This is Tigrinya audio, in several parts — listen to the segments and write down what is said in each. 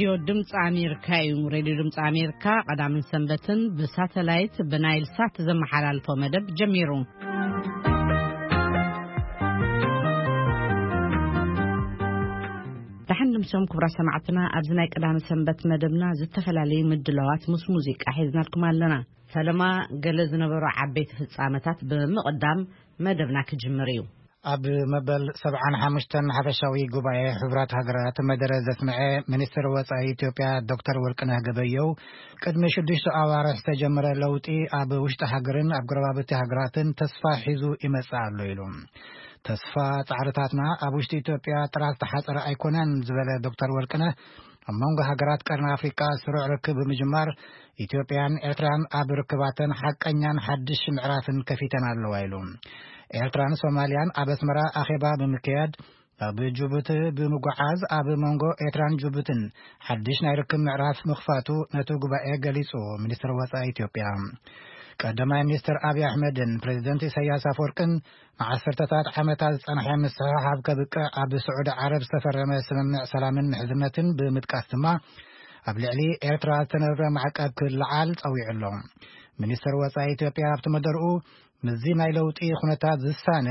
ሬድዮ ድምፂ ኣሜሪካ እዩ። ሬድዮ ድምፂ ኣሜሪካ ቀዳምን ሰንበትን ብሳተላይት ብናይል ሳት ዘመሓላልፎ መደብ ጀሚሩ። ደሓን ድምሶም ክቡራት ሰማዕትና፣ ኣብዚ ናይ ቀዳሚ ሰንበት መደብና ዝተፈላለዩ ምድላዋት ምስ ሙዚቃ ሒዝናልኩም ኣለና። ፈለማ ገለ ዝነበሩ ዓበይቲ ፍጻመታት ብምቕዳም መደብና ክጅምር እዩ። ኣብ መበል ሰብዓን ሓሙሽተን ሓፈሻዊ ጉባኤ ሕቡራት ሃገራት መደረ ዘስምዐ ሚኒስትር ወጻኢ ኢትዮጵያ ዶክተር ወርቅነህ ገበየው፣ ቅድሚ ሽዱሽተ ኣዋርሕ ዝተጀመረ ለውጢ ኣብ ውሽጢ ሃገርን ኣብ ጎረባብቲ ሃገራትን ተስፋ ሒዙ ይመጽእ ኣሎ ኢሉ። ተስፋ ጻዕርታትና ኣብ ውሽጢ ኢትዮጵያ ጥራሕ ዝተሓጸረ ኣይኮነን ዝበለ ዶክተር ወርቅነህ፣ ኣብ መንጎ ሃገራት ቀርኒ ኣፍሪቃ ስሩዕ ርክብ ብምጅማር ኢትዮጵያን ኤርትራን ኣብ ርክባተን ሓቀኛን ሓድሽ ምዕራፍን ከፊተን ኣለዋ ኢሉ። ኤርትራን ሶማልያን ኣብ ኣስመራ ኣኼባ ብምክያድ፣ ኣብ ጅቡቲ ብምጉዓዝ ኣብ መንጎ ኤርትራን ጅቡትን ሓድሽ ናይ ርክብ ምዕራፍ ምኽፋቱ ነቲ ጉባኤ ገሊጹ። ሚኒስትር ወጻኢ ኢትዮጵያ ቀዳማይ ሚኒስትር ኣብይ ኣሕመድን ፕሬዚደንት ኢሳያስ ኣፈወርቅን ንዓሰርተታት ዓመታት ዝጸንሐ ምስሕሓብ ከብቅዕ ኣብ ስዑዲ ዓረብ ዝተፈረመ ስምምዕ ሰላምን ምሕዝነትን ብምጥቃስ ድማ፣ ኣብ ልዕሊ ኤርትራ ዝተነብረ ማዕቀብ ክለዓል ጸዊዑ ኣሎ። ሚኒስትር ወጻኢ ኢትዮጵያ ኣብቲ መደርኡ፣ ምስዚ ናይ ለውጢ ኩነታት ዝሳነ፣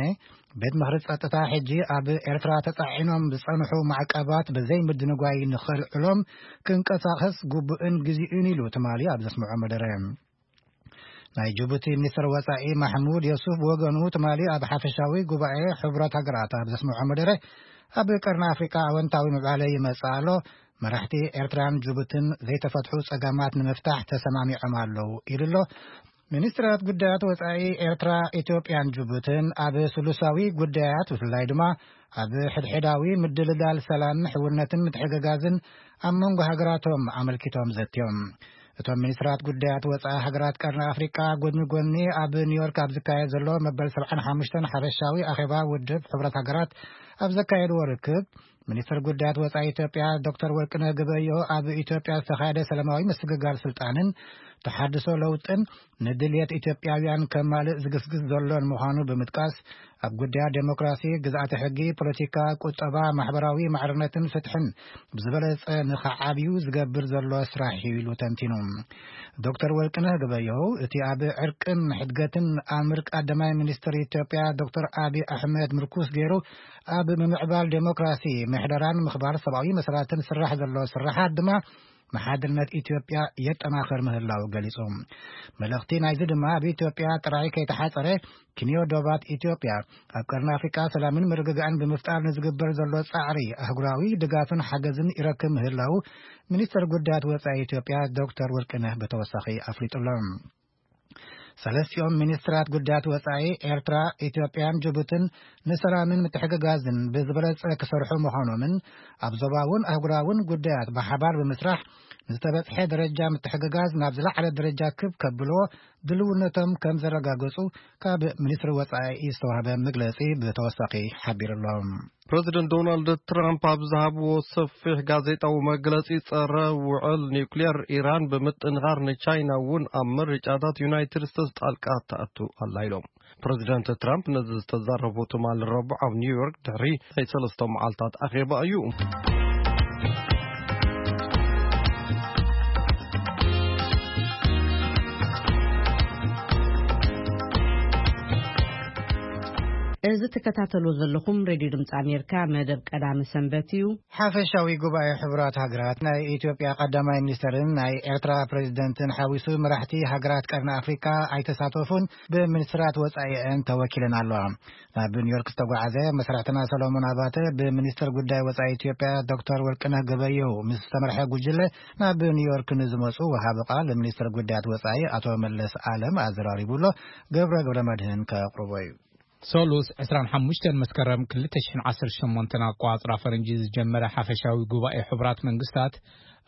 ቤት ምኽሪ ጸጥታ ሕጂ ኣብ ኤርትራ ተጻዒኖም ዝጸንሑ ማዕቀባት ብዘይ ምድንጓይ ንኸልዕሎም ክንቀሳቐስ ግቡእን ግዜኡን ኢሉ ትማሊ ኣብ ዘስምዖ መደረ። ናይ ጅቡቲ ሚኒስትር ወጻኢ ማሕሙድ የሱፍ ብወገኑ፣ ትማሊ ኣብ ሓፈሻዊ ጉባኤ ሕቡራት ሃገራት ኣብ ዘስምዖ መደረ፣ ኣብ ቀርኒ ኣፍሪቃ ኣወንታዊ ምዕባለ ይመጽእ ኣሎ፣ መራሕቲ ኤርትራን ጅቡትን ዘይተፈትሑ ጸገማት ንምፍታሕ ተሰማሚዖም ኣለዉ ኢሉ ኣሎ። ሚኒስትራት ጉዳያት ወጻኢ ኤርትራ፣ ኢትዮጵያን ጅቡትን ኣብ ስሉሳዊ ጉዳያት፣ ብፍላይ ድማ ኣብ ሕድሕዳዊ ምድልዳል ሰላም፣ ሕውነትን ምትሕግጋዝን ኣብ መንጎ ሃገራቶም ኣመልኪቶም ዘትዮም። እቶም ሚኒስትራት ጉዳያት ወጻኢ ሃገራት ቀርኒ ኣፍሪቃ፣ ጎድኒ ጎድኒ ኣብ ኒውዮርክ ኣብ ዝካየድ ዘሎ መበል ሰብዓን ሓሙሽተን ሓፈሻዊ ኣኼባ ውድብ ሕቡራት ሃገራት ኣብ ዘካየድዎ ርክብ፣ ሚኒስትር ጉዳያት ወጻኢ ኢትዮጵያ ዶክተር ወርቅነህ ገበዮ፣ ኣብ ኢትዮጵያ ዝተኻየደ ሰላማዊ ምስግጋር ስልጣንን ተሓድሶ ለውጥን ንድልየት ኢትዮጵያውያን ከማልእ ዝግስግስ ዘሎን ምዃኑ ብምጥቃስ፣ ኣብ ጉዳያት ዴሞክራሲ፣ ግዝኣተ ሕጊ፣ ፖለቲካ፣ ቁጠባ፣ ማሕበራዊ ማዕርነትን ፍትሕን ብዝበለጸ ንኸዓብዩ ዝገብር ዘሎ ስራሕ እዩ ኢሉ ተንቲኑ። ዶክተር ወርቅነህ ገበየሁ፣ እቲ ኣብ ዕርቅን ሕድገትን ኣምር ቀዳማይ ሚኒስትር ኢትዮጵያ ዶክተር ኣብይ ኣሕመድ ምርኩስ ገይሩ ኣብ ምምዕባል ዴሞክራሲ፣ ምሕደራን ምኽባር ሰብኣዊ መሰላትን ስራሕ ዘሎ ስራሓት ድማ መሓድነት ኢትዮጵያ የጠናኽር ምህላው ገሊጹ። መልእኽቲ ናይዚ ድማ፣ ኣብ ኢትዮጵያ ጥራይ ከይተሓጸረ፣ ክንዮ ዶባት ኢትዮጵያ ኣብ ቀርኒ ኣፍሪቃ ሰላምን ምርግጋእን ብምፍጣር ንዝግበር ዘሎ ጻዕሪ ኣህጉራዊ ድጋፍን ሓገዝን ይረክብ ምህላው ሚኒስትር ጉዳያት ወጻኢ ኢትዮጵያ ዶክተር ወርቅነህ ብተወሳኺ ኣፍሊጡ ኣሎ። ሰለስቲኦም ሚኒስትራት ጉዳያት ወጻኢ ኤርትራ፣ ኢትዮጵያን ጅቡትን ንሰላምን ምትሕግጋዝን ብዝበለጸ ክሰርሑ ምዃኖምን፣ ኣብ ዞባውን ኣህጉራውን ጉዳያት ብሓባር ብምስራሕ ንዝተበጽሐ ደረጃ ምትሕግጋዝ ናብ ዝለዓለ ደረጃ ክብ ከብልዎ ድልውነቶም ከም ዘረጋገጹ ካብ ሚኒስትሪ ወጻኢ ዝተዋህበ መግለጺ ብተወሳኺ ሓቢሩ ኣሎ። ፕረዚደንት ዶናልድ ትራምፕ ኣብ ዝሃብዎ ሰፊሕ ጋዜጣዊ መግለጺ፣ ጸረ ውዕል ኒውክሌር ኢራን ብምጥንኻር ንቻይና እውን ኣብ ምርጫታት ዩናይትድ ስቴትስ ጣልቃ ትኣቱ ኣላ ኢሎም። ፕረዚደንት ትራምፕ ነዚ ዝተዛረቡ ትማሊ ረቡዕ ኣብ ኒውዮርክ ድሕሪ ናይ ሰለስተ መዓልታት ኣኼባ እዩ። እዚ ትከታተሉ ዘለኹም ሬድዮ ድምፂ ኣሜሪካ መደብ ቀዳሚ ሰንበት እዩ። ሓፈሻዊ ጉባኤ ሕቡራት ሃገራት ናይ ኢትዮጵያ ቀዳማይ ሚኒስትርን ናይ ኤርትራ ፕሬዚደንትን ሓዊሱ መራሕቲ ሃገራት ቀርኒ ኣፍሪካ ኣይተሳተፉን፣ ብሚኒስትራት ወጻኢአን ተወኪለን ኣለዋ። ናብ ኒውዮርክ ዝተጓዓዘ መሰራሕትና ሰሎሞን ኣባተ፣ ብሚኒስትር ጉዳይ ወጻኢ ኢትዮጵያ ዶክተር ወርቅነህ ገበየሁ ምስ ዝተመርሐ ጉጅለ ናብ ኒውዮርክ ንዝመጹ ወሃቢ ቃል ሚኒስትር ጉዳያት ወጻኢ ኣቶ መለስ ኣለም ኣዘራሪቡ ኣሎ። ገብረ ገብረ መድህን ከቕርቦ እዩ። ሰሉስ ዕስራን ሓሙሽተን መስከረም ክልተ ሽሕን ዓሰርተ ሸሞንተን ኣቋጽራ ፈረንጂ ዝጀመረ ሓፈሻዊ ጉባኤ ሕቡራት መንግስታት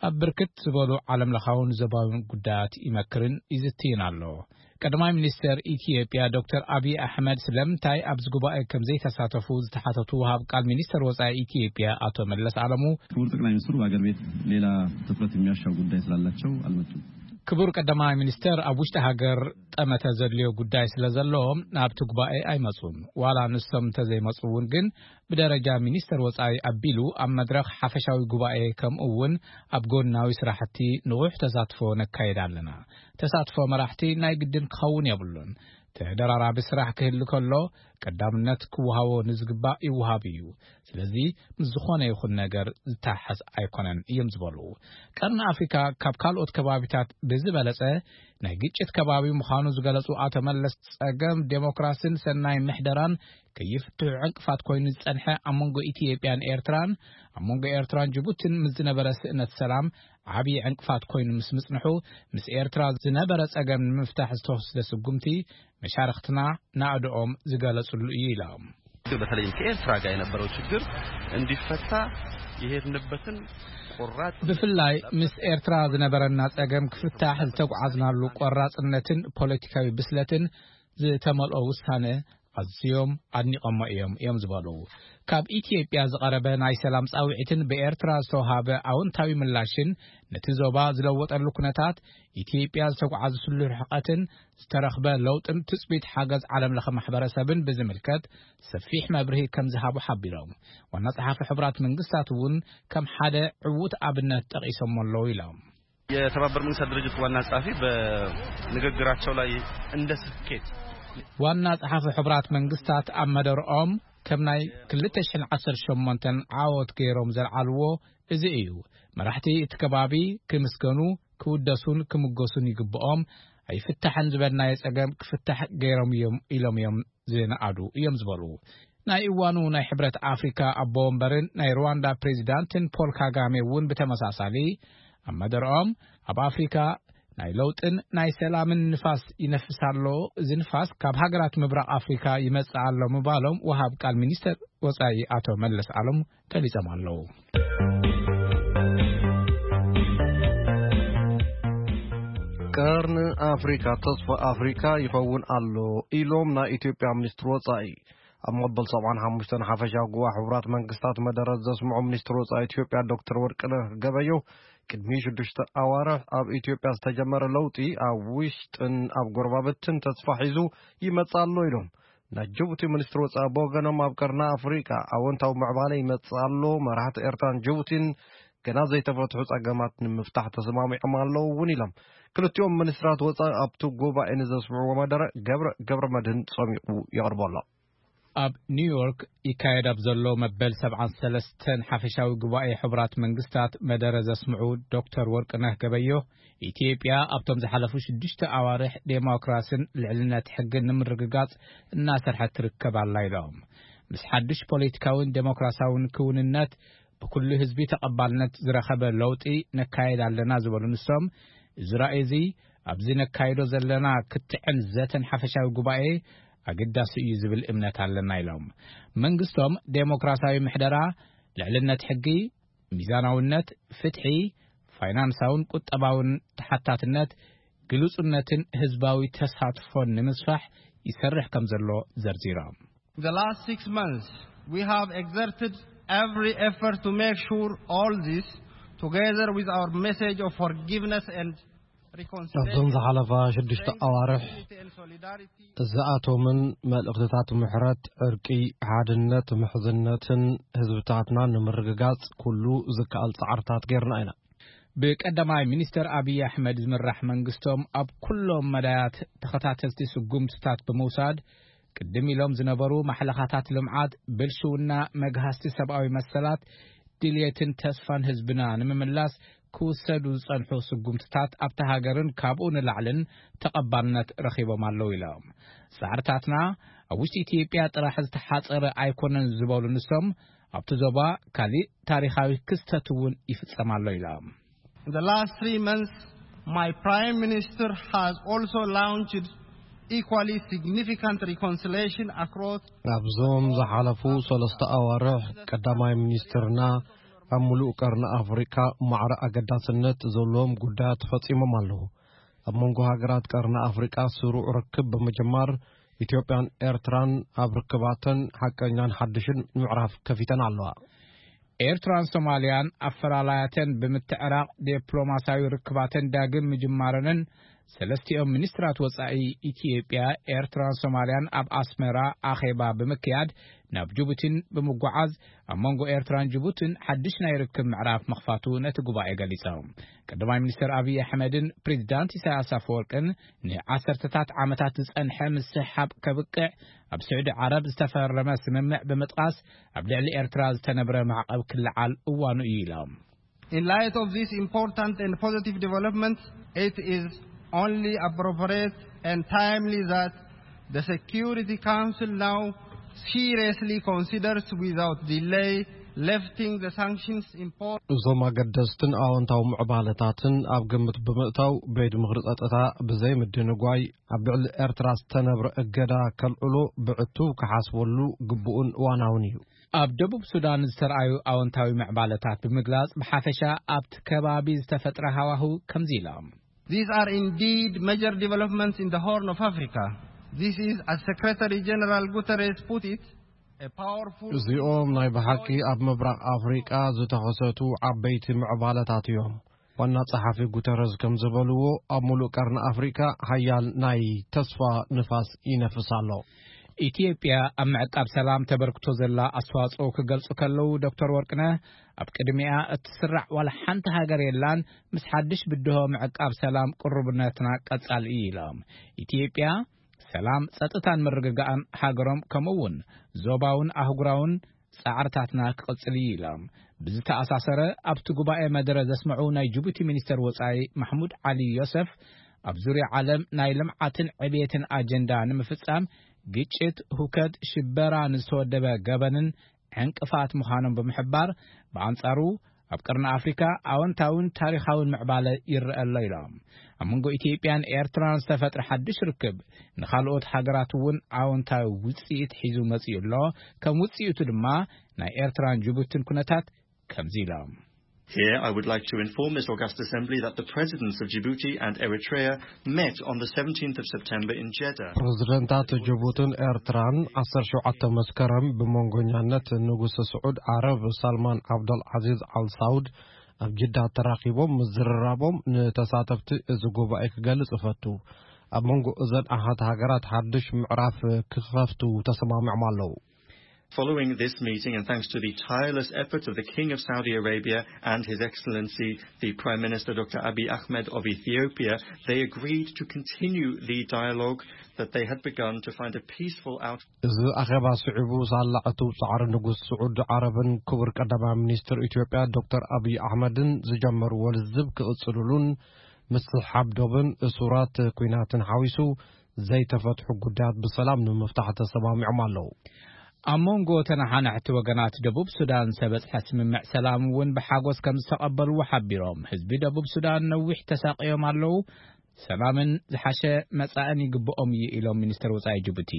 ኣብ ብርክት ዝበሉ ዓለምለኻውን ዞባውን ጉዳያት ይመክርን ይዝትይን ኣሎ። ቀዳማይ ሚኒስተር ኢትዮጵያ ዶክተር ኣብይ ኣሕመድ ስለምንታይ ኣብዚ ጉባኤ ከም ዘይተሳተፉ ዝተሓተቱ ወሃብ ቃል ሚኒስተር ወጻኢ ኢትዮጵያ ኣቶ መለስ ኣለሙ፣ ክቡር ጠቅላይ ሚኒስትሩ በአገር ቤት ሌላ ትኩረት የሚያሻው ጉዳይ ስላላቸው አልመጡም። ክቡር ቀዳማይ ሚኒስተር ኣብ ውሽጢ ሃገር ጠመተ ዘድልዮ ጉዳይ ስለ ዘሎ ናብቲ ጉባኤ ኣይመጹን። ዋላ ንሶም እንተዘይመጹ እውን ግን ብደረጃ ሚኒስተር ወጻኢ ኣቢሉ ኣብ መድረኽ ሓፈሻዊ ጉባኤ ከምኡ እውን ኣብ ጎናዊ ስራሕቲ ንቑሕ ተሳትፎ ነካይድ ኣለና። ተሳትፎ መራሕቲ ናይ ግድን ክኸውን የብሉን። ተደራራቢ ስራሕ ክህሉ ከሎ ቀዳምነት ክወሃቦ ንዝግባእ ይወሃብ እዩ። ስለዚ ምስ ዝኾነ ይኹን ነገር ዝተሓሓዝ ኣይኮነን እዮም ዝበሉ። ቀርኒ ኣፍሪካ ካብ ካልኦት ከባቢታት ብዝበለጸ ናይ ግጭት ከባቢ ምዃኑ ዝገለጹ ኣቶ መለስ፣ ጸገም ዴሞክራሲን ሰናይ ምሕደራን ከይፍትሑ ዕንቅፋት ኮይኑ ዝጸንሐ ኣብ መንጎ ኢትዮጵያን ኤርትራን ኣብ መንጎ ኤርትራን ጅቡትን ምስ ዝነበረ ስእነት ሰላም ዓብዪ ዕንቅፋት ኮይኑ ምስ ምጽንሑ፣ ምስ ኤርትራ ዝነበረ ጸገም ንምፍታሕ ዝተወስደ ስጉምቲ መሻርኽትና ናእድኦም ዝገለጽሉ እዩ ኢሎም። በተለይም ከኤርትራ ጋር የነበረው ችግር እንዲፈታ የሄድንበትን ቆራጥ ብፍላይ ምስ ኤርትራ ዝነበረና ጸገም ክፍታሕ ዝተጓዓዝናሉ ቆራጽነትን ፖለቲካዊ ብስለትን ዝተመልኦ ውሳነ ኣዝዮም ኣድኒቐሞ እዮም እዮም ዝበሉ። ካብ ኢትዮጵያ ዝቐረበ ናይ ሰላም ጻውዒትን ብኤርትራ ዝተውሃበ ኣውንታዊ ምላሽን ነቲ ዞባ ዝለወጠሉ ኩነታት፣ ኢትዮጵያ ዝተጓዓዘትሉ ርሕቀትን ዝተረኽበ ለውጥን ትጽቢት ሓገዝ ዓለም ለኸ ማሕበረሰብን ብዝምልከት ሰፊሕ መብርሂ ከም ዝሃቡ ሓቢሮም። ዋና ጸሓፊ ሕቡራት መንግስታት እውን ከም ሓደ ዕዉት ኣብነት ጠቒሶም ኣለዉ ኢሎም። የተባበሩት መንግስታት ድርጅት ዋና ጸሐፊ በንግግራቸው ላይ እንደ ስኬት ዋና ጸሓፊ ሕቡራት መንግስታት ኣብ መደርኦም ከም ናይ ክልተ ሽሕን ዓሰርተ ሸሞንተን ዓወት ገይሮም ዘልዓልዎ እዚ እዩ። መራሕቲ እቲ ከባቢ ክምስገኑ፣ ክውደሱን ክምጎሱን ይግብኦም። ኣይፍታሕን ዝበልናዮ ጸገም ክፍታሕ ገይሮም እዮም ኢሎም እዮም ዝነኣዱ እዮም ዝበሉ። ናይ እዋኑ ናይ ሕብረት ኣፍሪካ ኣቦ ወንበርን ናይ ሩዋንዳ ፕሬዚዳንትን ፖል ካጋሜ እውን ብተመሳሳሊ ኣብ መደርኦም ኣብ ኣፍሪካ ናይ ለውጥን ናይ ሰላምን ንፋስ ይነፍስ ኣሎ። እዚ ንፋስ ካብ ሃገራት ምብራቕ ኣፍሪካ ይመጽእ ኣሎ ምባሎም ወሃብ ቃል ሚኒስተር ወጻኢ ኣቶ መለስ ዓለም ገሊጾም ኣለዉ። ቀርኒ ኣፍሪካ ተስፋ ኣፍሪካ ይኸውን ኣሎ ኢሎም ናይ ኢትዮጵያ ሚኒስትር ወጻኢ። ኣብ መበል ሰብዓን ሓሙሽተን ሓፈሻዊ ጉባኤ ሕቡራት መንግስታት መደረ ዘስምዑ ሚኒስትር ወጻኢ ኢትዮጵያ ዶክተር ወርቅነህ ገበየሁ ቅድሚ ሽዱሽተ ኣዋርሕ ኣብ ኢትዮጵያ ዝተጀመረ ለውጢ ኣብ ውሽጥን ኣብ ጎረባብትን ተስፋ ሒዙ ይመጽእ ኣሎ ኢሎም። ናይ ጅቡቲ ሚኒስትር ወጻኢ ብወገኖም ኣብ ቀርኒ ኣፍሪቃ ኣወንታዊ ምዕባለ ይመጽእ ኣሎ፣ መራሕቲ ኤርትራን ጅቡቲን ገና ዘይተፈትሑ ጸገማት ንምፍታሕ ተሰማሚዖም ኣለዉ እውን ኢሎም። ክልቲኦም ሚኒስትራት ወጻኢ ኣብቲ ጉባኤ ንዘስምዕዎ መደረ ገብረ ገብረ መድህን ጸሚቑ የቕርቦ ኣሎ። ኣብ ኒውዮርክ ይካየድ ኣብ ዘሎ መበል ሰብዓን ሰለስተን ሓፈሻዊ ጉባኤ ሕቡራት መንግስታት መደረ ዘስምዑ ዶክተር ወርቅነህ ገበዮ፣ ኢትዮጵያ ኣብቶም ዝሓለፉ ሽዱሽተ ኣዋርሕ ዴሞክራስን ልዕልነት ሕግን ንምርግጋጽ እናሰርሐት ትርከብ ኣላ ኢሎም። ምስ ሓድሽ ፖለቲካውን ዴሞክራሲያውን ክውንነት ብኩሉ ህዝቢ ተቐባልነት ዝረኸበ ለውጢ ነካየድ ኣለና ዝበሉ ንሶም፣ እዚ ራእይ እዚ ኣብዚ ነካይዶ ዘለና ክትዕን ዘተን ሓፈሻዊ ጉባኤ ኣገዳሲ እዩ ዝብል እምነት ኣለና ኢሎም። መንግስቶም ዴሞክራሲያዊ ምሕደራ፣ ልዕልነት ሕጊ፣ ሚዛናውነት፣ ፍትሒ፣ ፋይናንሳውን ቁጠባውን ተሓታትነት፣ ግሉጽነትን ህዝባዊ ተሳትፎን ንምስፋሕ ይሰርሕ ከም ዘሎ ዘርዚሮም። The last six months, we have exerted every effort to make sure all this, together with our message of forgiveness and ኣብዞም ዝሓለፋ ሽዱሽተ ኣዋርሕ እዚኣቶምን መልእኽትታት ምሕረት፣ ዕርቂ፣ ሓድነት፣ ምሕዝነትን ህዝብታትና ንምርግጋጽ ኩሉ ዝከኣል ጻዕርታት ጌርና ኢና። ብቀዳማይ ሚኒስተር ኣብይ ኣሕመድ ዝምራሕ መንግስቶም ኣብ ኩሎም መዳያት ተኸታተልቲ ስጉምትታት ብምውሳድ፣ ቅድም ኢሎም ዝነበሩ ማሕለኻታት ልምዓት፣ ብልሽውና፣ መግሃስቲ ሰብኣዊ መሰላት፣ ድልየትን ተስፋን ህዝብና ንምምላስ ክውሰዱ ዝጸንሑ ስጉምትታት ኣብታ ሃገርን ካብኡ ንላዕልን ተቐባልነት ረኺቦም ኣለዉ ኢሎም። ጻዕርታትና ኣብ ውሽጢ ኢትዮጵያ ጥራሕ ዝተሓጸረ ኣይኮነን ዝበሉ ንሶም፣ ኣብቲ ዞባ ካሊእ ታሪኻዊ ክስተት እውን ይፍጸም ኣሎ ኢሎም። In the last three months, my Prime Minister has also launched equally significant reconciliation across ኣብዞም ዝሓለፉ ሰለስተ ኣዋርሕ ቀዳማይ ሚኒስትርና ኣብ ሙሉእ ቀርኒ ኣፍሪቃ ማዕረ ኣገዳስነት ዘለዎም ጉዳያት ፈጺሞም ኣለዉ። ኣብ መንጎ ሃገራት ቀርኒ ኣፍሪቃ ስሩዕ ርክብ ብምጅማር ኢትዮጵያን ኤርትራን ኣብ ርክባተን ሓቀኛን ሓድሽን ምዕራፍ ከፊተን ኣለዋ። ኤርትራን ሶማልያን ኣፈላላያተን ብምትዕራቕ ዲፕሎማስያዊ ርክባተን ዳግም ምጅማረንን፣ ሰለስቲኦም ሚኒስትራት ወጻኢ ኢትዮጵያ፣ ኤርትራን ሶማልያን ኣብ ኣስመራ ኣኼባ ብምክያድ ናብ ጅቡቲን ብምጉዓዝ፣ ኣብ መንጎ ኤርትራን ጅቡቲን ሓድሽ ናይ ርክብ ምዕራፍ ምኽፋቱ ነቲ ጉባኤ ገሊጾም። ቀዳማይ ሚኒስትር ኣብይ ኣሕመድን ፕሬዚዳንት ኢሳያስ ኣፈወርቅን ንዓሰርተታት ዓመታት ዝጸንሐ ምስሕሓብ ከብቅዕ ኣብ ስዑዲ ዓረብ ዝተፈረመ ስምምዕ ብምጥቃስ፣ ኣብ ልዕሊ ኤርትራ ዝተነብረ ማዕቐብ ክለዓል እዋኑ እዩ ኢሎም። In light of this important and positive development, it is only appropriate and timely that the Security Council now seriously considers without delay lifting the sanctions imposed. እዞም ኣገደስትን ኣወንታዊ ምዕባለታትን ኣብ ግምት ብምእታው፣ ቤት ምኽሪ ጸጥታ ብዘይ ምድንጓይ ኣብ ልዕሊ ኤርትራ ዝተነብረ እገዳ ከልዕሎ ብዕቱብ ክሓስበሉ ግቡእን እዋናውን እዩ። ኣብ ደቡብ ሱዳን ዝተርኣዩ ኣወንታዊ ምዕባለታት ብምግላጽ፣ ብሓፈሻ ኣብቲ ከባቢ ዝተፈጥረ ሃዋህው ከምዚ ኢሎም። These are indeed major developments in the Horn of Africa. This is, as Secretary General Guterres put it, a powerful እዚኦም ናይ ብሓቂ ኣብ ምብራቕ ኣፍሪቃ ዝተኸሰቱ ዓበይቲ ምዕባለታት እዮም። ዋና ጸሓፊ ጉተረዝ ከም ዝበልዎ፣ ኣብ ሙሉእ ቀርኒ ኣፍሪቃ ሓያል ናይ ተስፋ ንፋስ ይነፍስ ኣሎ። ኢትዮጵያ ኣብ ምዕቃብ ሰላም ተበርክቶ ዘላ ኣስተዋጽኦ ክገልጹ ከለዉ፣ ዶክተር ወርቅነህ፣ ኣብ ቅድሚኣ እትስራዕ ዋላ ሓንቲ ሃገር የላን፣ ምስ ሓድሽ ብድሆ ምዕቃብ ሰላም ቅሩብነትና ቀጻሊ እዩ ኢሎም። ኢትዮጵያ ሰላም፣ ጸጥታን ምርግጋእን ሃገሮም፣ ከምኡ እውን ዞባውን ኣህጉራውን ጻዕርታትና ክቕጽል እዩ ኢሎም። ብዝተኣሳሰረ፣ ኣብቲ ጉባኤ መደረ ዘስምዑ ናይ ጅቡቲ ሚኒስተር ወጻኢ ማሕሙድ ዓሊ ዮሰፍ፣ ኣብ ዙርያ ዓለም ናይ ልምዓትን ዕብየትን ኣጀንዳ ንምፍጻም፣ ግጭት፣ ሁከት፣ ሽበራ፣ ንዝተወደበ ገበንን ዕንቅፋት ምዃኖም ብምሕባር፣ ብኣንጻሩ ኣብ ቀርኒ ኣፍሪካ ኣወንታውን ታሪኻውን ምዕባለ ይረአ ኣሎ ኢሎም። ኣብ መንጎ ኢትዮጵያን ኤርትራን ዝተፈጥረ ሓድሽ ርክብ ንኻልኦት ሃገራት እውን ኣወንታዊ ውጽኢት ሒዙ መጺኡ ኣሎ። ከም ውጽኢቱ ድማ ናይ ኤርትራን ጅቡትን ኩነታት ከምዚ ኢሎም። Here I would like to inform this august assembly that the presidents of Djibouti and Eritrea met on the seventeenth of September in Jeddah. ፕሬዝደንታት ጅቡትን ኤርትራን ዓሰርተ ሸውዓተ መስከረም ብመንጎኛነት ንጉስ ስዑድ ዓረብ ሳልማን ዓብደል ዓዚዝ ኣል ሳውድ ኣብ ጅዳ ተራኺቦም ምዝርራቦም ንተሳተፍቲ እዚ ጉባኤ ክገልጽ እፈቱ። ኣብ መንጎ እዘን ኣሓት ሃገራት ሓድሽ ምዕራፍ ክኸፍቱ ተሰማሚዖም ኣለዉ። Following this meeting, and thanks to the tireless efforts of the King of Saudi Arabia and His Excellency the Prime Minister Doctor Abiy Ahmed of Ethiopia, they agreed to continue the dialogue that they had begun to find a peaceful out. እዚ ኣኼባ ስዒቡ፣ ሳላ ዕቱብ ጻዕሪ ንጉስ ስዑዲ ዓረብን ክቡር ቀዳማይ ሚኒስትር ኢትዮጵያ ዶክተር ኣብይ ኣሕመድን ዝጀመርዎ ልዝብ ክቕጽልሉን፣ ምስሕሓብ ዶብን እሱራት ኲናትን ሓዊሱ ዘይተፈትሑ ጉዳያት ብሰላም ንምፍታሕ ተሰማሚዖም ኣለዉ። ኣብ መንጎ ተነሓናሕቲ ወገናት ደቡብ ሱዳን ዝተበጽሐ ስምምዕ ሰላም እውን ብሓጎስ ከም ዝተቐበልዎ ሓቢሮም፣ ህዝቢ ደቡብ ሱዳን ነዊሕ ተሳቕዮም ኣለዉ፣ ሰላምን ዝሓሸ መጻእን ይግብኦም እዩ ኢሎም ሚኒስትር ወጻኢ ጅቡቲ።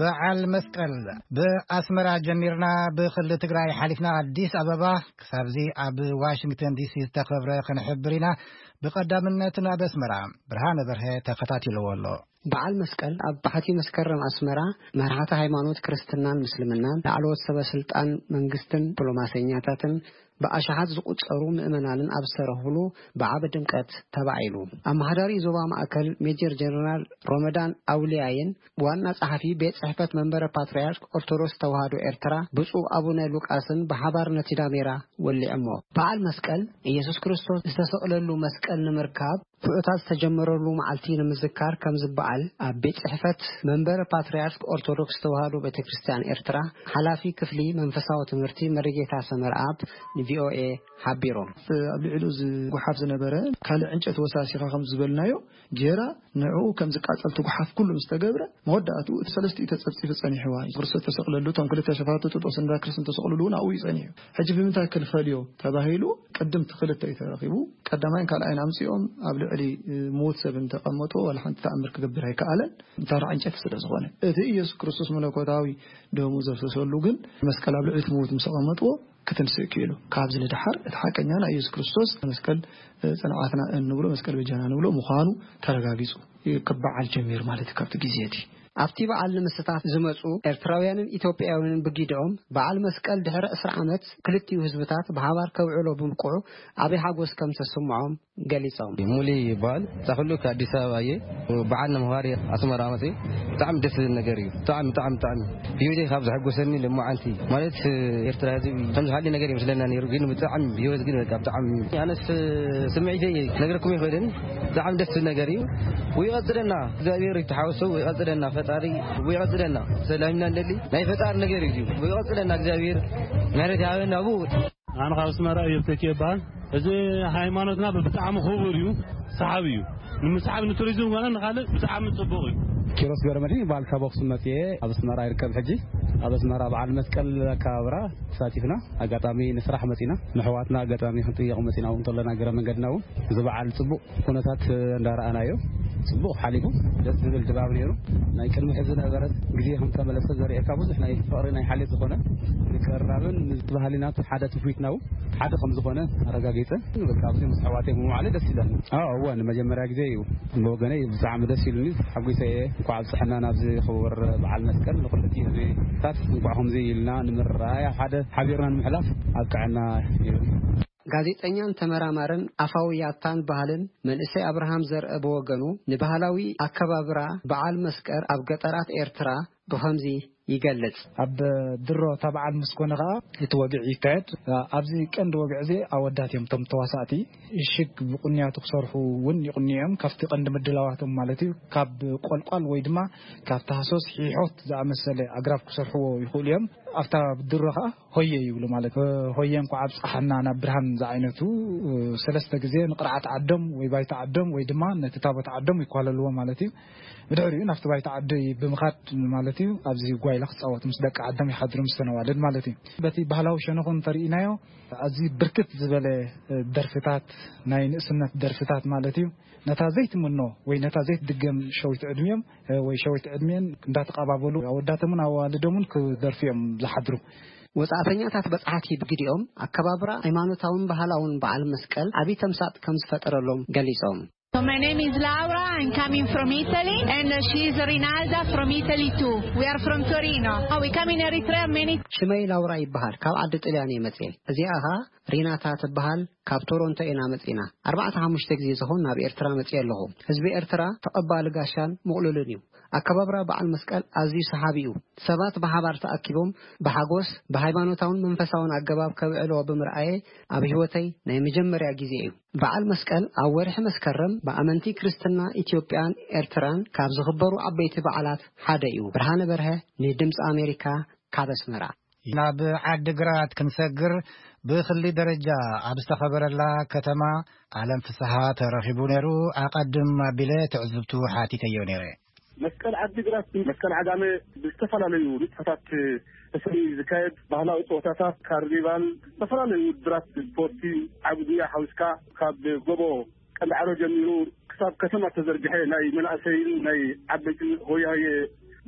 በዓል መስቀል ብኣስመራ ጀሚርና፣ ብክልል ትግራይ ሓሊፍና ኣዲስ ኣበባ ክሳብዚ ኣብ ዋሽንግተን ዲሲ ዝተኸብረ ክንሕብር ኢና። ብቐዳምነት ናብ ኣስመራ ብርሃነ በርሀ ተኸታቲልዎ ኣሎ። በዓል መስቀል ኣብ ባሕቲ መስከረም ኣስመራ መራሕቲ ሃይማኖት ክርስትናን ምስልምናን፣ ላዕለዎት ሰበ ስልጣን መንግስትን ዲፕሎማሰኛታትን ብኣሽሓት ዝቑጸሩ ምእመናንን ኣብ ዝተረኽብሉ ብዓቢ ድምቀት ተባዒሉ። ኣመሓዳሪ ዞባ ማእከል ሜጀር ጀነራል ሮመዳን ኣውልያይን ዋና ጸሓፊ ቤት ጽሕፈት መንበረ ፓትርያርክ ኦርቶዶክስ ተዋህዶ ኤርትራ ብፁዕ ኣቡነ ሉቃስን ብሓባር ነቲ ዳሜራ ወሊዖሞ። በዓል መስቀል፣ ኢየሱስ ክርስቶስ ዝተሰቕለሉ መስቀል ንምርካብ ፍዑታት ዝተጀመረሉ መዓልቲ ንምዝካር ከም ዝበዓል ኣብ ቤት ጽሕፈት መንበረ ፓትርያርክ ኦርቶዶክስ ተዋህዶ ቤተ ክርስቲያን ኤርትራ ሓላፊ ክፍሊ መንፈሳዊ ትምህርቲ መሪጌታ ሰመርኣብ ንቪኦኤ ሓቢሮም። ኣብ ልዕሊኡ ዝጉሓፍ ዝነበረ ካልእ ዕንጨይቲ ወሳሲኻ ከም ዝበልናዮ ጌራ ንዕኡ ከም ዝቃጸል ትጉሓፍ ኩሉ ምስ ተገብረ፣ መወዳእትኡ እቲ ሰለስቲኡ ተጸብጺቡ ጸኒሕዋ እዩ። ክርስቶስ ተሰቕለሉ፣ እቶም ክልተ ሸፋቱ ጥጦስን ዳክርስን ተሰቕልሉ እውን ኣብኡ እዩ ጸኒሑ። ሕጂ ብምንታይ ክንፈልዮ ተባሂሉ፣ ቅድም እቲ ክልተ እዩ ተረኺቡ። ቀዳማይን ካልኣይን ኣምጺኦም ኣብ ልዕሊ፣ እ፣ ምዉት ሰብ እንተቐመጡ፣ ዋላ ሓንቲ ተኣምር ክገብር ኣይከኣለን፣ ተራ ዕንጨይቲ ስለ ዝኾነ። እቲ ኢየሱስ ክርስቶስ መለኮታዊ ደሙ ዘፍሰሰሉ ግን መስቀል ኣብ ልዕሊ እቲ ምዉት ምስ ኣቐመጥዎ፣ ክትንስእ ክኢሉ። ካብዚ ንደሓር እቲ ሓቀኛ ናይ ኢየሱስ ክርስቶስ መስቀል፣ እ፣ ጽንዓትና እንብሎ፣ መስቀል በጃና ንብሎ ምዃኑ ተረጋጊጹ። ክበዓል ጀሚሩ ማለት እዩ። ካብቲ ግዜ እቲ ኣብቲ በዓል ንምስታፍ ዝመጹ ኤርትራውያንን ኢትዮጵያውያንን ብጊድኦም፣ በዓል መስቀል ድሕሪ ዕስራ ዓመት ክልቲኡ ህዝብታት ብሓባር ከብዕሎ ብምብቅዑ ዓቢ ሓጎስ ከም ዝተሰምዖም ገሊጾም። ሙሊ ይበሃል። ዛኹሉ ከኣዲስ ኣበባ እየ። በዓል ንምኽባር እየ ኣስመራ መፅእ። ብጣዕሚ ደስ ዝብል ነገር እዩ። ብጣዕሚ ብጣዕሚ ብጣዕሚ ህይወተይ ካብ ዘሐጎሰኒ ልማዓንቲ ማለት ኤርትራ ህዝቢ ከምዚ ካልእ ነገር ይመስለና ነይሩ፣ ግን ብጣዕሚ ህይወት ግን በቃ ብጣዕሚ ኣነስ ስምዒተይ ነግረኩም ይኽእልን። ብጣዕሚ ደስ ዝብል ነገር እዩ። ወይቐፅለና እግዚኣብሔር ይተሓወሶ። ወይቐፅለና ፈጣሪ። ወይቐፅለና ሰላምና እንደሊ ናይ ፈጣሪ ነገር እዩ። ወይቐፅለና እግዚኣብሔር ምሕረት ይሃበና። ኣቡ ኣነ ካብ ኣስመራ እዮብ ተኪ ይበሃል። እዚ ሃይማኖትና ብጣዕሚ ክቡር እዩ፣ ሰሓቢ እዩ። ንምስሓብ ንቱሪዝም ኮነ ንኻልእ ብጣዕሚ ጽቡቕ እዩ። ኪሮስ ገረመድህን ይበሃል፣ ካብ ኣኽሱም መጽየ ኣብ ኣስመራ ይርከብ። ሕጂ ኣብ ኣስመራ በዓል መስቀል ኣከባብራ ተሳቲፍና፣ ኣጋጣሚ ንስራሕ መጺና፣ ንሕዋትና ኣጋጣሚ ክንጥየቕ መጺና እውን ከለና፣ ገረ መንገድና እውን እዚ በዓል ጽቡቕ ኩነታት እንዳረኣናዮ፣ ጽቡቕ ሓሊፉ፣ ደስ ዝብል ድባብ ነይሩ። ናይ ቅድሚ ሕዚ ነበረት ግዜ ከም ተመለሰ ዘርእየካ ብዙሕ ናይ ፍቕሪ ናይ ሓልዮት ዝኾነ ምቅርራብን ምስ ባህልና ሓደ ትውፊትና እውን ሓደ ከም ዝኾነ ኣረጋጊጸ። በቃ ኣብዚ ምስ ኣሕዋተይ ብምውዓለ ደስ ኢለኒ። ኣዎ፣ እወ፣ ንመጀመርያ ግዜ እዩ። ብወገነይ ብጣዕሚ ደስ ኢሉኒ፣ ተሓጒሰ እየ። እንኳዕ ኣብፀሐና ናብዚ ክቡር በዓል መስቀል። ንኹሉ ህዝብታት እንኳዕ ከምዚ ኢልና ንምርኣይ፣ ኣብ ሓደ ሓቢርና ንምሕላፍ ኣብቅዐና ይብል። ጋዜጠኛን ተመራማርን ኣፋዊ ያታን ባህልን መንእሰይ ኣብርሃም ዘርአ ብወገኑ፣ ንባህላዊ ኣከባብራ በዓል መስቀል ኣብ ገጠራት ኤርትራ ብኸምዚ ይገልጽ። ኣብ ድሮ እታ በዓል ምስ ኮነ ኸኣ እቲ ወግዒ ይካየድ። ኣብዚ ቀንዲ ወግዒ እዚ ኣወዳት እዮም እቶም ተዋሳእቲ። ሽግ ብቁንያቱ ክሰርሑ እውን ይቁንዩ እዮም። ካብቲ ቀንዲ ምድላዋቶም ማለት እዩ፣ ካብ ቆልቋል ወይ ድማ ካብ ታህሶስ ሒሖት ዝኣመሰለ ኣግራብ ክሰርሕዎ ይኽእሉ እዮም። ኣብታ ድሮ ኸኣ ሆየ ይብሉ ማለት እዩ። ሆየ እንኳዕ ኣብጽሓና ናብ ብርሃን ዝዓይነቱ ሰለስተ ግዜ ንቕርዓት ዓዶም ወይ ባይታ ዓዶም ወይ ድማ ነቲ ታቦት ዓዶም ይኳለልዎ ማለት እዩ። ብድሕሪኡ ናብቲ ባይታ ዓዲ ብምኻድ ማለት እዩ፣ ኣብዚ ጓይላ ክጻወቱ ምስ ደቂ ዓዶም ይሓድሩ፣ ምስ ተነዋልድ ማለት እዩ። በቲ ባህላዊ ሸነኹ እንተርኢናዮ፣ ኣዝዩ ብርክት ዝበለ ደርፍታት፣ ናይ ንእስነት ደርፍታት ማለት እዩ። ነታ ዘይትምኖ ወይ ነታ ዘይትድገም ሸዊት ዕድሚኦም ወይ ሸዊት ዕድሚኤን እንዳተቐባበሉ ኣወዳቶምን ኣዋልዶምን ክደርፉ እዮም ዝሓድሩ። ወጻእተኛታት በጻሕቲ ብግዲኦም፣ ኣከባብራ ሃይማኖታውን ባህላውን በዓል መስቀል ዓቢ ተምሳጥ ከም ዝፈጠረሎም ገሊጾም። So my name is Laura. I'm coming from Italy, and uh, she is Rinalda from Italy too. We are from Torino. Oh, we come in Eritrea many. ሽመይ ላውራ ይበሃል። ካብ ዓዲ ጥልያን እየ መጽኤ። እዚኣ ኸኣ ሪናታ ትበሃል። ካብ ቶሮንቶ ኢና መጺና። ኣርባዕተ ሓሙሽተ ግዜ ዝኸውን ናብ ኤርትራ መጽኤ ኣለኹ። ህዝቢ ኤርትራ ተቐባሊ ጋሻን ምቕሉልን እዩ። ኣከባብራ በዓል መስቀል ኣዝዩ ሰሓቢ እዩ። ሰባት ብሓባር ተኣኪቦም ብሓጎስ ብሃይማኖታውን መንፈሳውን ኣገባብ ከብዕልዎ ብምርኣየ፣ ኣብ ህይወተይ ናይ መጀመርያ ግዜ እዩ። በዓል መስቀል ኣብ ወርሒ መስከረም ብኣመንቲ ክርስትና ኢትዮጵያን ኤርትራን ካብ ዝኽበሩ ዓበይቲ በዓላት ሓደ እዩ። ብርሃነ በርሀ ንድምፂ ኣሜሪካ ካብ ኣስመራ። ናብ ዓዲግራት ክንሰግር ብክሊ ደረጃ ኣብ ዝተኸበረላ ከተማ ኣለም ፍስሃ ተረኺቡ ነይሩ። ኣቐድም ኣቢለ ትዕዝብቱ ሓቲተዮ ነይረ። መስቀል ዓዲግራት፣ መስቀል ዓጋመ ብዝተፈላለዩ ንጥፈታት ተሰንዩ ዝካየድ ባህላዊ ፀወታታት፣ ካርኒቫል፣ ዝተፈላለዩ ውድድራት ስፖርቲ፣ ዓቢ ጉያ ሓዊስካ ካብ ጎቦ ቀንዳዕሮ ጀሚሩ ክሳብ ከተማ ተዘርግሐ ናይ መናእሰይን ናይ ዓበይትን ሆያሆየ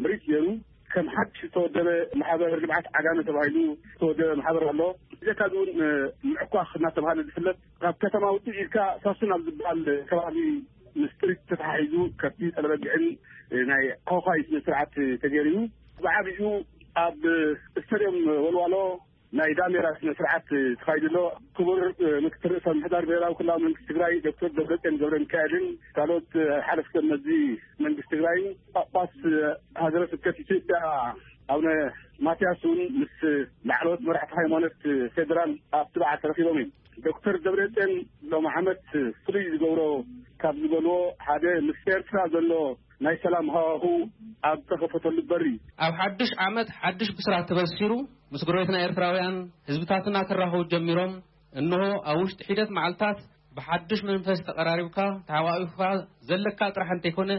ምርኢት ገይሩ። ከም ሓድሽ ዝተወደበ ማሕበር ልምዓት ዓጋመ ተባሂሉ ዝተወደበ ማሕበር ኣሎ። ብጀካ እዚ እውን ምዕኳኽ እናተባሃለ ዝፍለጥ ካብ ከተማ ውፅእ ኢልካ ሳሱን ኣብ ዝበሃል ከባቢ ምስ ጥሪት ተተሓሒዙ ከብቲ ጠለበግዕን ናይ ኳኳይ ስነ ስርዓት ተገይሩ። ብዓብዩ ኣብ ስታድዮም ወልዋሎ ናይ ዳሜራ ስነ ስርዓት ተኻይዱ ኣሎ። ክቡር ምክትል ርእሰ ምሕዳር ብሔራዊ ክልላዊ መንግስቲ ትግራይ ዶክተር ደብረጽዮን ገብረ ሚካኤልን ካልኦት ሓለፍቲ መዚ መንግስቲ ትግራይን ጳጳስ ሃገረ ስብከት ኢትዮጵያ ኣቡነ ማትያስ እውን ምስ ላዕለዎት መራሕቲ ሃይማኖት ፌዴራል ኣብቲ በዓል ተረኺቦም እዮም። ዶክተር ደብረጽዮን ሎም ዓመት ፍሉይ ዝገብሮ ካብ ዝበልዎ ሓደ ምስ ኤርትራ ዘሎ ናይ ሰላም ሃዋሁ ኣብ ተኸፈተሉ በሪ። ኣብ ሓድሽ ዓመት ሓድሽ ብስራት ተበሲሩ፣ ምስ ጎረቤትና ኤርትራውያን ህዝብታትና ክራኸቡ ጀሚሮም። እንሆ ኣብ ውሽጢ ሒደት መዓልታት ብሓድሽ መንፈስ ተቐራሪብካ ተሓቋቒፍካ ዘለካ ጥራሕ እንተይኮነ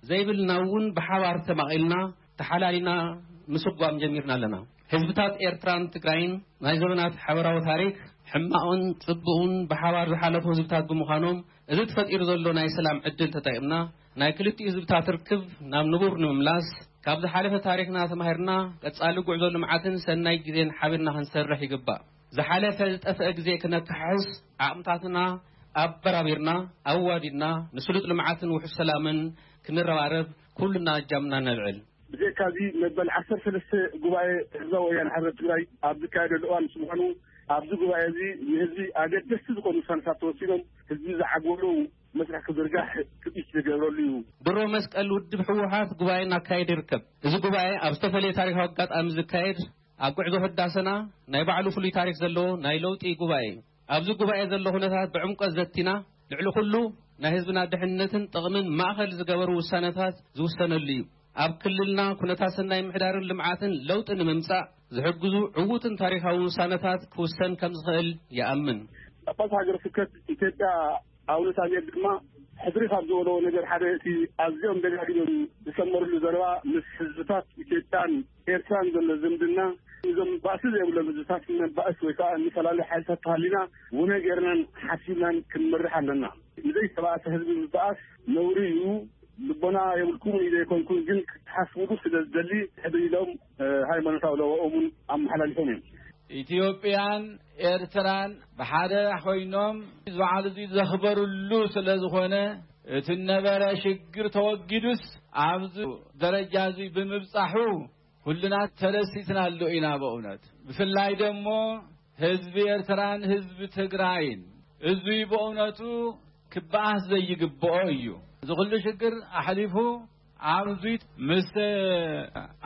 ዘይብልና እውን ብሓባር ተማቒልና ተሓላሊና ምስጓም ጀሚርና ኣለና። ህዝብታት ኤርትራን ትግራይን ናይ ዘመናት ሓበራዊ ታሪክ ሕማቕን ጽቡቕን ብሓባር ዝሓለፉ ህዝብታት ብምዃኖም እዚ ተፈጢሩ ዘሎ ናይ ሰላም ዕድል ተጠቂምና ናይ ክልቲኡ ህዝብታት ርክብ ናብ ንቡር ንምምላስ ካብ ዝሓለፈ ታሪክና ተማሂርና ቀጻሊ ጉዕዞ ልምዓትን ሰናይ ግዜን ሓቢርና ክንሰርሕ ይግባእ። ዝሓለፈ ዝጠፍአ ግዜ ክነካሕስ ዓቕምታትና ኣበራቢርና ኣዋዲድና ንስሉጥ ልምዓትን ውሑስ ሰላምን ክንረባረብ ኩልና እጃምና ነልዕል። ብዘይካዚ መበል ዓሰርተ ሰለስተ ጉባኤ ህዝባዊ ወያነ ሓርነት ትግራይ ኣብ ዝካየደሉ እዋን ምስ ምዃኑ፣ ኣብዚ ጉባኤ እዚ ንህዝቢ ኣገደስቲ ዝኾኑ ውሳነታት ተወሲኖም ህዝቢ ዝዓግበሉ መስርሕ ክዝርጋሕ ትፅቢት ዝገብረሉ እዩ። ድሮ መስቀል ውድብ ህወሓት ጉባኤ እናካየደ ይርከብ። እዚ ጉባኤ ኣብ ዝተፈላለየ ታሪካዊ ኣጋጣሚ ዝካየድ፣ ኣብ ጉዕዞ ህዳሰና ናይ ባዕሉ ፍሉይ ታሪክ ዘለዎ ናይ ለውጢ ጉባኤ እዩ። ኣብዚ ጉባኤ ዘሎ ኩነታት ብዕምቆት ዘቲና፣ ልዕሊ ኩሉ ናይ ህዝብና ድሕነትን ጥቕምን ማእኸል ዝገበሩ ውሳነታት ዝውሰነሉ እዩ። ኣብ ክልልና ኩነታት ሰናይ ምሕዳርን ልምዓትን ለውጢ ንምምፃእ ዝሕግዙ ዕዉትን ታሪካዊ ውሳነታት ክውሰን ከም ዝኽእል ይኣምን። ጳጳስ ሃገረ ስብከት ኢትዮጵያ ኣቡነ ሳሙኤል ድማ ሕድሪ ካብ ዝበለዎ ነገር ሓደ፣ እቲ ኣዝዮም ደጋጊሞም ዝሰመርሉ ዘረባ፣ ምስ ህዝብታት ኢትዮጵያን ኤርትራን ዘሎ ዝምድና፣ እዞም ባእሲ ዘይብሎም ህዝብታት ንባእስ ወይ ከዓ ንፈላለዩ ሓይልታት ተሃሊና ውነ ጌርናን ሓሲብናን ክንመርሕ ኣለና። ንዘይተባእሰ ህዝቢ ምባኣስ ነውሪ እዩ። ልቦና የብልኩም ኢለ ኣይኮንኩን፣ ግን ክትሓስብሉ ስለ ዝደሊ ሕድሪ ኢሎም፣ እ፣ ሃይማኖታዊ ለዋኦምን ኣመሓላሊፎም እዮም። ኢትዮጵያን ኤርትራን ብሓደ ኮይኖም በዓል እዚ ዘኽበሩሉ ስለ ዝኾነ፣ እቲ ነበረ ሽግር ተወጊዱስ ኣብዚ ደረጃ እዚ ብምብጻሑ ኩልና ተደሲትና ኣሎ ኢና። በእውነት ብፍላይ ደሞ ህዝቢ ኤርትራን ህዝቢ ትግራይን፣ እዙይ በእውነቱ ክበኣስ ዘይግብኦ እዩ። እዚ ኩሉ ሽግር ኣሕሊፉ ኣብዚ ምስ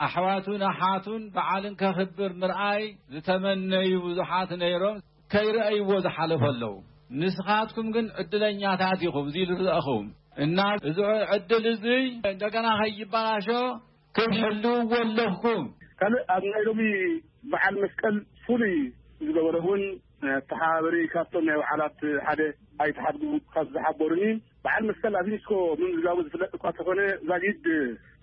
ኣሕዋቱን ኣሓቱን በዓልን ከኽብር ምርኣይ ዝተመነዩ ብዙሓት ነይሮም፣ ከይረኣይዎ ዝሓለፉ ኣለዉ። ንስኻትኩም ግን ዕድለኛታት ኢኹም፣ እዚ ዝረኣኹም እና እዚ ዕድል እዚ እንደገና ከይበላሾ ክትሕልውዎ ኣለኩም። ካልእ ኣብ ናይ ሎሚ በዓል መስቀል ፍሉይ ዝገበረ እውን፣ ተሓባበሪ ካብቶም ናይ በዓላት ሓደ ኣይተሓድጉ ካብ ዝሓበሩኒ፣ በዓል መስቀል ኣብ ዩኒስኮ ምምዝጋቡ ዝፍለጥ እኳ ተኾነ፣ ዛጊድ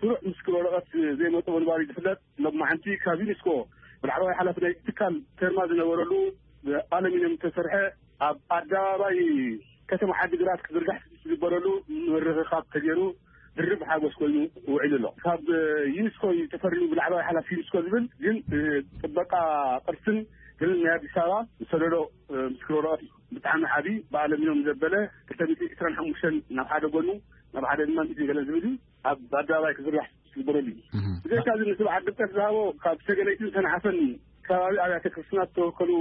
ስሩዕ ምስክር ወረቐት ዘይመጽኦ ምንባሩ ዝፍለጥ፣ ሎማዓንቲ ካብ ዩኒስኮ ብላዕለዋይ ሓላፊ ናይ ትካል ተርማ ዝነበረሉ ብኣለሚንየም ዝተሰርሐ ኣብ ኣደባባይ ከተማ ዓዲግራት ክዝርጋሕ ዝግበረሉ ምርኽኻብ ተገይሩ ድርብ ሓጎስ ኮይኑ ውዒሉ ኣሎ። ካብ ዩኒስኮ እዩ ተፈሪሙ ብላዕለዋይ ሓላፊ ዩኒስኮ ዝብል፣ ግን ጥበቃ ቅርስን ክልል ናይ ኣዲስ ኣበባ ዝሰደዶ ምስክር ወረቐት እዩ። ብጣዕሚ ዓቢ ብኣለሚንየም ዘበለ ክልተ ሚእቲ ዕስራን ሓሙሽተን ናብ ሓደ ጎኑ፣ ናብ ሓደ ድማ ሚእቲ ገለን ዝብል እዩ። ኣብ ኣደባባይ ክዝርጋሕ ዝግበረሉ እዩ። እህ። ብዘይካዚ ንስብዓት ድምቀት ዝሃቦ ካብ ሰገነይትን ሰንዓፈን ከባቢ ኣብያተ ክርስትና ዝተወከሉ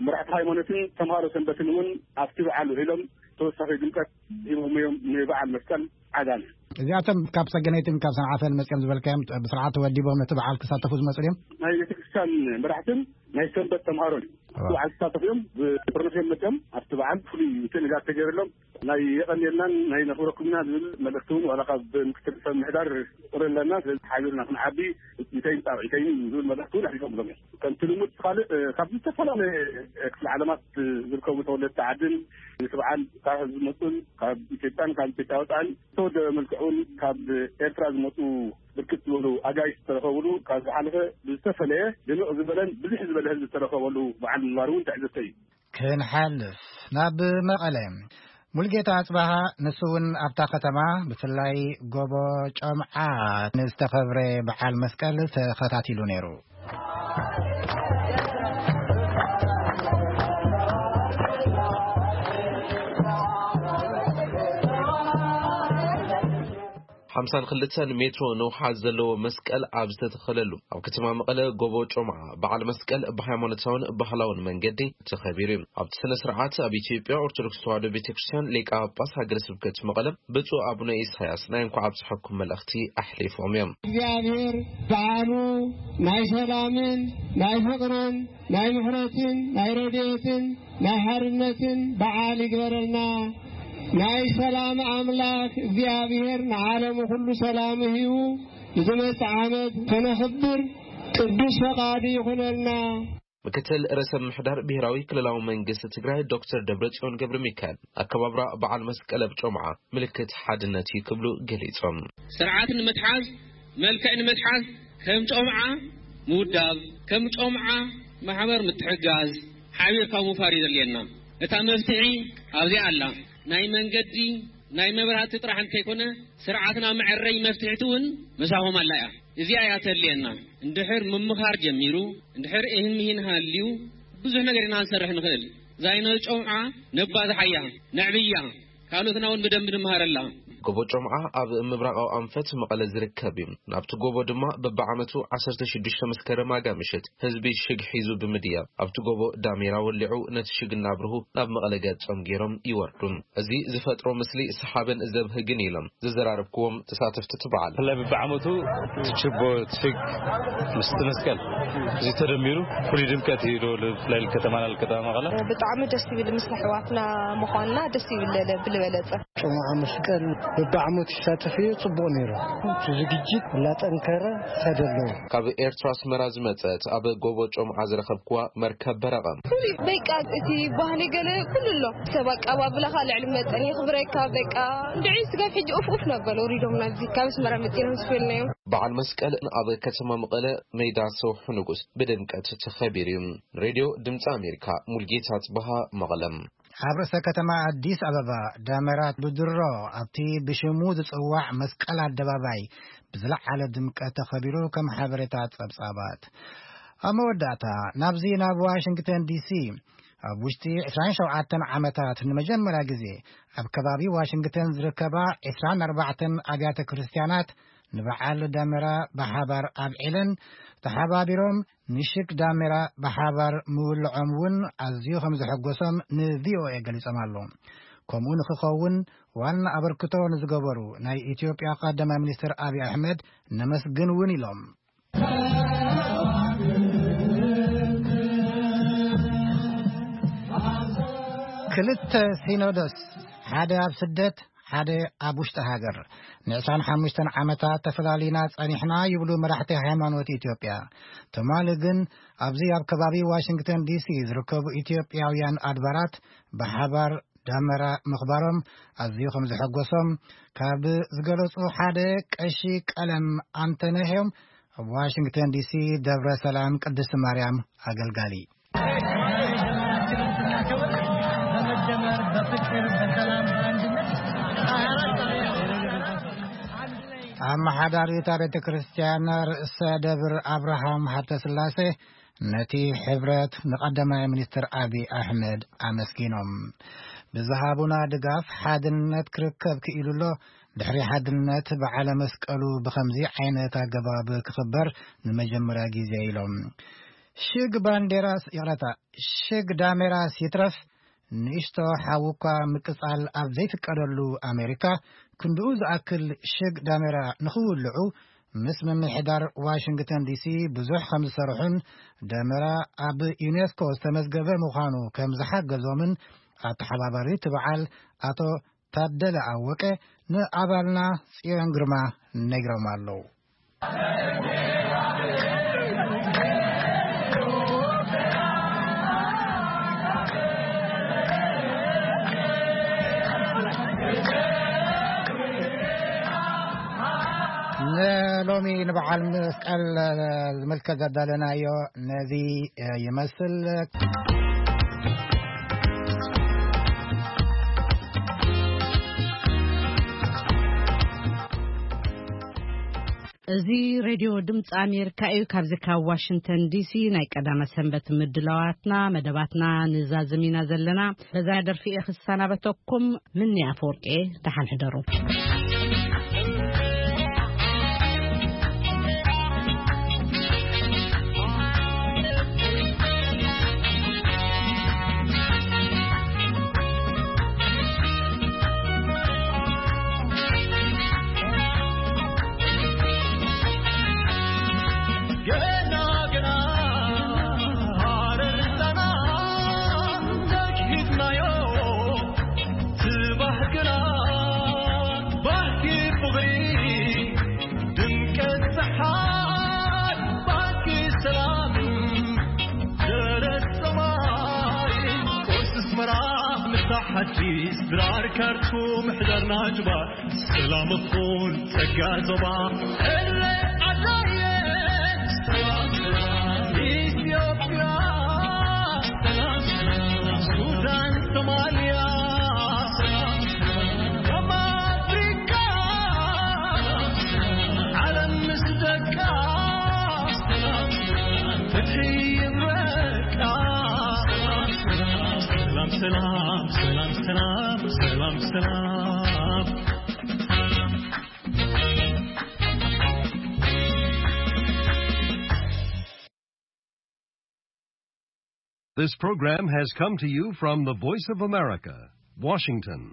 መራሕቲ ሃይማኖትን ተምሃሮ ሰንበትን እውን ኣብቲ በዓል ውዒሎም ተወሳኺ ድምቀት ሂቦም እዮም ንበዓል መስቀል ዓጋመ። እዚኣቶም ካብ ሰገነይትን ካብ ሰንዓፈን መፅኦም ዝበልካዮም ብስርዓት ተወዲቦም ነቲ በዓል ክሳተፉ ዝመፁ ድዮም? ናይ ቤተክርስትያን መራሕትን ናይ ሰንበት ተምሃሮን እዩ። እዋ። በዓል ክሳተፉ እዮም። ብጥርንፍ እዮም መፅኦም። ኣብቲ በዓል ፍሉይ ምትእንጋድ ተገይርሎም ናይ የቐንየልናን ናይ ነኽብረኩምና ዝብል መልእኽቲ እውን ዋላ ካብ ምክትል ሰብ ምሕዳር ቁሪ ኣለና። ስለዚ ሓቢርና ክንዓቢ፣ ኢተይን ጣብዒተይን ዝብል መልእኽቲ እውን ኣሕሊፎምሎም እዮም። ከምቲ ልሙድ ካልእ፣ እ፣ ካብ ዝተፈላለየ ክፍለ ዓለማት ዝርከቡ ተወለድቲ ዓድን፣ እቲ በዓል ካብ ህዝቢ ዝመፁን፣ ካብ ኢትዮጵያን ካብ ኢትዮጵያ ወፃእን ዝተወደበ መልክዕ እውን ካብ ኤርትራ ዝመፁ ብርክት ዝበሉ ኣጋይሽ ዝተረኸብሉ፣ ካብ ዝሓለፈ ብዝተፈለየ ድምቕ ዝበለን ብዝሕ ዝበለ ህዝቢ ዝተረኸበሉ በዓል ምንባሩ እውን ትዕዝብተይ እዩ። ክንሓልፍ ናብ መቐለ። ሙልጌታ ኣጽባሃ ንሱ እውን ኣብታ ከተማ ብፍላይ ጎቦ ጮምዓ ንዝተኸብረ በዓል መስቀል ተኸታቲሉ ነይሩ። ሓምሳን ክልተን ሜትሮ ንውሓት ዘለዎ መስቀል ኣብ ዝተተኸለሉ ኣብ ከተማ መቐለ ጎቦ ጮምዓ በዓል መስቀል ብሃይማኖታውን ባህላውን መንገዲ ተኸቢሩ እዩ። ኣብቲ ስነ ስርዓት ኣብ ኢትዮጵያ ኦርቶዶክስ ተዋህዶ ቤተ ክርስቲያን ሊቀ ጳጳስ ሃገረ ስብከት መቐለ ብፁዕ ኣቡነ ኢሳያስ ናይ እንኳዕ ኣብፀሐኩም መልእኽቲ ኣሕሊፎም እዮም። እግዚኣብሔር በዓሉ ናይ ሰላምን ናይ ፍቕርን ናይ ምሕረትን ናይ ረድኤትን ናይ ሓርነትን በዓል ይግበረልና። ናይ ሰላም ኣምላኽ እግዚኣብሔር ንዓለሙ ኩሉ ሰላም ሂቡ ንዝመጽእ ዓመት ከነኽብር ቅዱስ ፈቓዱ ይኹነልና። ምክትል ርእሰ ምምሕዳር ብሄራዊ ክልላዊ መንግስቲ ትግራይ ዶክተር ደብረጽዮን ገብረ ሚካኤል ኣከባብራ በዓል መስቀል ኣብ ጮምዓ ምልክት ሓድነት እዩ ክብሉ ገሊጾም። ስርዓት ንምትሓዝ፣ መልክዕ ንምትሓዝ ከም ጮምዓ ምውዳብ፣ ከም ጮምዓ ማሕበር ምትሕጋዝ፣ ሓቢርካ ምውፋር እዩ ዘድልየና። እታ መፍትሒ ኣብዚኣ ኣላ። ናይ መንገዲ፣ ናይ መብራህቲ ጥራሕ እንተይኮነ፣ ስርዓትና መዐረይ መፍትሒት እውን ምሳኹም ኣላ እያ። እዚኣ እያ ተድልየና። እንድሕር ምምኻር ጀሚሩ፣ እንድሕር እህን ምሂን ሃልዩ፣ ብዙሕ ነገር ኢና ክንሰርሕ ንኽእል። እዛ ናይ ጮምዓ ነባዝሓያ፣ ነዕብያ፣ ካልኦትና እውን ብደንቢ ንምሃረላ። ጎቦ ጮምዓ ኣብ ምብራቓዊ ኣንፈት መቐለ ዝርከብ እዩ። ናብቲ ጎቦ ድማ በብዓመቱ ዓሰርተ ሽዱሽተ መስከረም ኣጋ ምሽት ህዝቢ ሽግ ሒዙ ብምድያብ ኣብቲ ጎቦ ዳሜራ ወሊዑ ነቲ ሽግ እናብርሁ ናብ መቐለ ገጾም ገይሮም ይወርዱ። እዚ ዝፈጥሮ ምስሊ ሰሓብን ዘብህግን ኢሎም ዘዘራረብክዎም ተሳተፍቲ እቲ በዓል። ብፍላይ በብዓመቱ እቲ ችቦ፣ እቲ ሽግ ምስቲ መስቀል እዚ ተደሚሩ ፍሉይ ድምቀት እዩ ዶ ብፍላይ ንከተማና ንከተማ መቐለ? ብጣዕሚ ደስ ይብል፣ ምስ ኣሕዋትና ምዃንና ደስ ይብል ብልበለጸ። ጮምዓ መስቀል በብዓመቱ ይሳተፍ እዩ፣ ጽቡቕ ነይሩ። እቲ ዝግጅት እናጠንከረ ይኸደ ኣለዎ። ካብ ኤርትራ ኣስመራ ዝመጸት ኣብ ጎቦ ጮምዓ ዝረኸብክዋ መርከብ በረቐ። ፍሉይ በቃ እቲ ባህሊ ገለ ኩሉ ኣሎ። ሰብ ኣቀባብላኻ ልዕሊ መጠን የኽብረካ። በቃ እንድዒ ስጋብ ሕጂ ኡፍ ኡፍ ነበር ወሪዶም ናብዚ ካብ ኣስመራ መጺኦም ዝፈልናዮም። በዓል መስቀል ኣብ ከተማ መቐለ ሜዳ ሰውሑ ንጉስ ብድምቀት ተኸቢሩ እዩ። ሬድዮ ድምፂ ኣሜሪካ፣ ሙልጌታ ጽበሃ፣ መቐለም። ኣብ ርእሰ ከተማ ኣዲስ ኣበባ ዳመራ ብድሮ ኣብቲ ብሽሙ ዝጽዋዕ መስቀል ኣደባባይ ብዝለዓለ ድምቀት ተኸቢሩ፣ ከም ሓበሬታ ጸብጻባት። ኣብ መወዳእታ ናብዚ ናብ ዋሽንግተን ዲሲ ኣብ ውሽጢ ዕስራን ሸውዓተን ዓመታት ንመጀመርያ ግዜ ኣብ ከባቢ ዋሽንግተን ዝርከባ ዕስራን ኣርባዕተን ኣብያተ ክርስትያናት ንበዓል ዳመራ ብሓባር ኣብዒለን ተሓባቢሮም ንሽግ ዳሜራ ብሓባር ምውልዖም እውን ኣዝዩ ከም ዘሐጎሶም ንቪኦኤ ገሊጾም ኣለዉ። ከምኡ ንኽኸውን ዋና ኣበርክቶ ንዝገበሩ ናይ ኢትዮጵያ ቀዳማይ ሚኒስትር ኣብይ ኣሕመድ ነመስግን እውን ኢሎም። ክልተ ሲኖዶስ፣ ሓደ ኣብ ስደት፣ ሓደ ኣብ ውሽጢ ሃገር፣ ንዕስራን ሓሙሽተን ዓመታት ተፈላሊና ጸኒሕና ይብሉ መራሕቲ ሃይማኖት ኢትዮጵያ። ትማሊ ግን ኣብዚ ኣብ ከባቢ ዋሽንግተን ዲሲ ዝርከቡ ኢትዮጵያውያን ኣድባራት ብሓባር ዳመራ ምኽባሮም ኣዝዩ ከም ዘሐጎሶም፣ ካብ ዝገለጹ ሓደ ቀሺ ቀለም ኣንተነህ እዮም። ኣብ ዋሽንግተን ዲሲ ደብረ ሰላም ቅድስቲ ማርያም ኣገልጋሊ። በመደመር፣ በፍቅር፣ በሰላም፣ በአንድነት አመሓዳሪት ቤተ ክርስቲያን ርእሰ ደብር ኣብርሃም ሃብተ ስላሴ ነቲ ሕብረት ንቀዳማይ ሚኒስትር ኣቢ ኣሕመድ ኣመስጊኖም። ብዝሃቡና ድጋፍ ሓድነት ክርከብ ክኢሉ ኣሎ። ድሕሪ ሓድነት በዓለ መስቀሉ ብኸምዚ ዓይነት ኣገባብ ክኽበር ንመጀመርያ ግዜ ኢሎም። ሽግ ባንዴራስ፣ ይቕረታ፣ ሽግ ዳሜራስ ይትረፍ፣ ንእሽቶ ሓዊ እኳ ምቅጻል ኣብ ዘይፍቀደሉ ኣሜሪካ፣ ክንድኡ ዝኣክል ሽግ ዳሜራ ንኽውልዑ ምስ ምምሕዳር ዋሽንግተን ዲሲ ብዙሕ ከም ዝሰርሑን፣ ደመራ ኣብ ዩኔስኮ ዝተመዝገበ ምዃኑ ከም ዝሓገዞምን ኣተሓባባሪ እቲ በዓል ኣቶ ታደለ ኣወቀ ንኣባልና ጽዮን ግርማ ነጊሮም ኣለዉ። ንሎሚ ንበዓል መስቀል ዝምልከት ዘዳለናዮ ነዚ ይመስል። እዚ ሬድዮ ድምፂ ኣሜሪካ እዩ። ካብዚ ካብ ዋሽንግተን ዲሲ ናይ ቀዳመ ሰንበት ምድላዋትና፣ መደባትና ንዛዝም ኢና ዘለና። በዛ ደርፊ እየ ክሰናበተኩም። ምኒ ኣፈወርቂ፣ ደሓን ሕደሩ። ኣዲስ ድራር ካርቱም ሕዳርና ጅባር ሰላም እኹል ጸጋ ዞባ እለ ኣዳየ ሰላም ሰላም ኢትዮጵያ ሰላም ሰላም ሱዳን ሶማልያ ሰላም ሰላም ደቡብ ኣፍሪካ ዓለም ምስ ደቃ ሰላም ሰላም ፍትሒ ይብረቃ ሰላም ሰላም ሰላም ሰላም ሰላም ሰላም ሰላም This program has come to you from the Voice of America, Washington.